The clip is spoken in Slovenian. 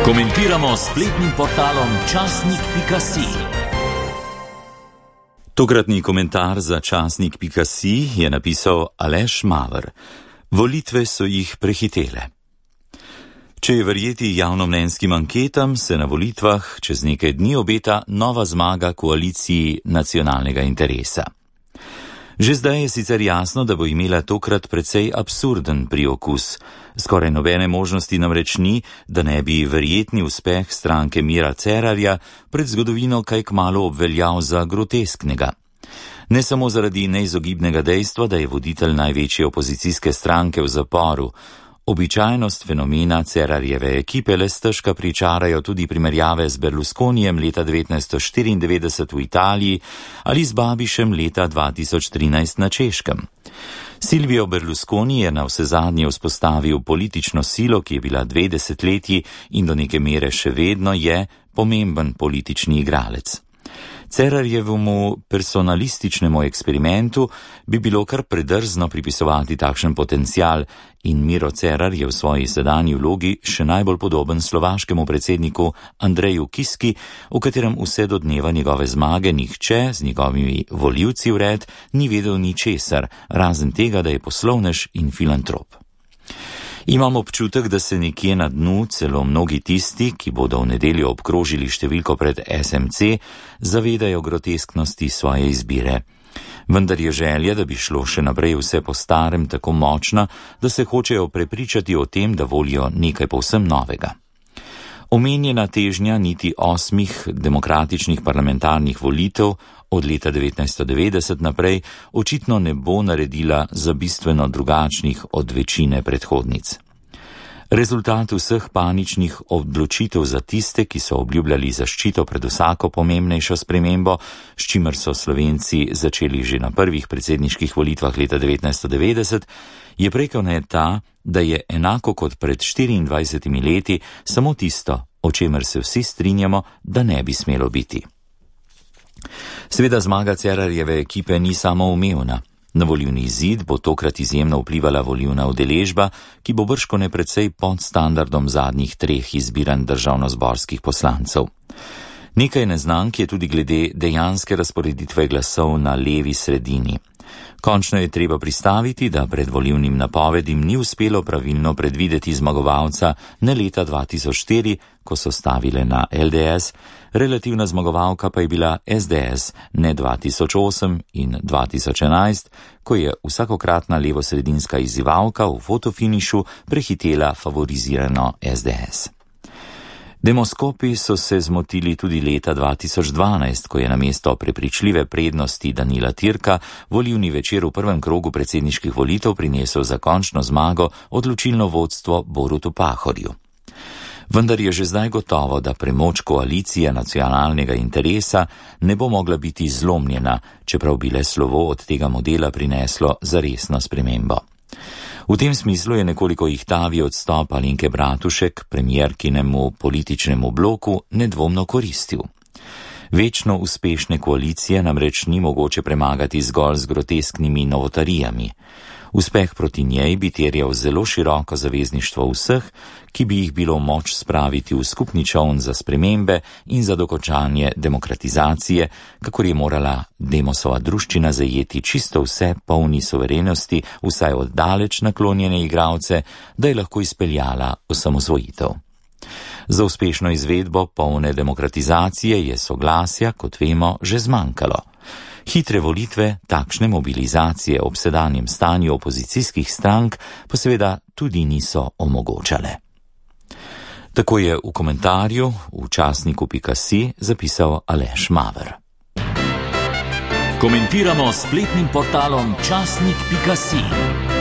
Komentiramo s spletnim portalom časnik.si. Tokratni komentar za časnik.si je napisal Aleš Maver. Volitve so jih prehitele. Če je verjeti javnomnenjskim anketam, se na volitvah čez nekaj dni obeta nova zmaga koaliciji nacionalnega interesa. Že zdaj je sicer jasno, da bo imela tokrat precej absurden priokus. Skoraj nobene možnosti namreč ni, da ne bi verjetni uspeh stranke Mira Cerarja pred zgodovino kaj kmalu obveljal za grotesknega. Ne samo zaradi neizogibnega dejstva, da je voditelj največje opozicijske stranke v zaporu. Običajnost fenomena Cerarjeve ekipe le stežka pričarajo tudi primerjave z Berlusconijem leta 1994 v Italiji ali z Babišem leta 2013 na Češkem. Silvio Berlusconi je na vsezadnje vzpostavil politično silo, ki je bila 2 desetletji in do neke mere še vedno je pomemben politični igralec. Cerarjevemu personalističnemu eksperimentu bi bilo kar predrzno pripisovati takšen potencial in Miro Cerar je v svoji sedanji vlogi še najbolj podoben slovaškemu predsedniku Andreju Kiski, v katerem vse do dneva njegove zmage nihče z njegovimi volivci vred ni vedel ničesar, razen tega, da je poslovnež in filantrop. Imam občutek, da se nekje na dnu celo mnogi tisti, ki bodo v nedeljo obkrožili številko pred SMC, zavedajo grotesknosti svoje izbire. Vendar je želja, da bi šlo še naprej vse po starem, tako močna, da se hočejo prepričati o tem, da volijo nekaj povsem novega. Omenjena težnja niti 8 demokratičnih parlamentarnih volitev od leta 1990 naprej očitno ne bo naredila za bistveno drugačnih od večine predhodnic. Rezultat vseh paničnih odločitev za tiste, ki so obljubljali zaščito pred vsako pomembnejšo spremembo, s čimer so Slovenci začeli že na prvih predsedniških volitvah leta 1990, je prekovne ta, da je enako kot pred 24 leti samo tisto, o čemer se vsi strinjamo, da ne bi smelo biti. Seveda zmaga Cerarjeve ekipe ni samoumevna. Na volilni izid bo tokrat izjemno vplivala volilna udeležba, ki bo bržkone precej pod standardom zadnjih 3 izbiranj državnozborskih poslancev. Nekaj neznank je tudi glede dejanske razporeditve glasov na levi sredini. Končno je treba pristaviti, da pred volilnim napovedim ni uspelo pravilno predvideti zmagovalca ne leta 2004, ko so stavile na LDS, relativna zmagovalka pa je bila SDS ne 2008 in 2011, ko je vsakokratna levosredinska izzivalka v fotofinišu prehitela favorizirano SDS. Demoskopi so se zmotili tudi leta 2012, ko je namesto prepričljive prednosti Danila Türka volilni večer v prvem krogu predsedniških volitev prinesel za končno zmago odločilno vodstvo Borutu Pahorju. Vendar je že zdaj gotovo, da premoč koalicije nacionalnega interesa ne bo mogla biti zlomljena, čeprav bi le slovo od tega modela prineslo zaresno spremembo. V tem smislu je nekoliko ihtavi odstop Alenke Bratušek premierkinemu političnemu bloku nedvomno koristil. Večno uspešne koalicije namreč ni mogoče premagati zgolj z grotesknimi novotarijami. Uspeh proti njej bi terjal zelo široko zavezništvo vseh, ki bi jih bilo moč spraviti v skupni čoln za spremembe in za dokončanje demokratizacije, kakor je morala Demosova druščina zajeti čisto vse polni suverenosti, vsaj od daleč naklonjene igralce, da je lahko izpeljala osamosvojitev. Za uspešno izvedbo polne demokratizacije je soglasja, kot vemo, že zmanjkalo. Hitre volitve, takšne mobilizacije ob sedanjem stanju opozicijskih strank pa seveda tudi niso omogočale. Tako je v komentarju v časniku.si zapisal Aleš Maver. Komentiramo s spletnim portalom časnik.si.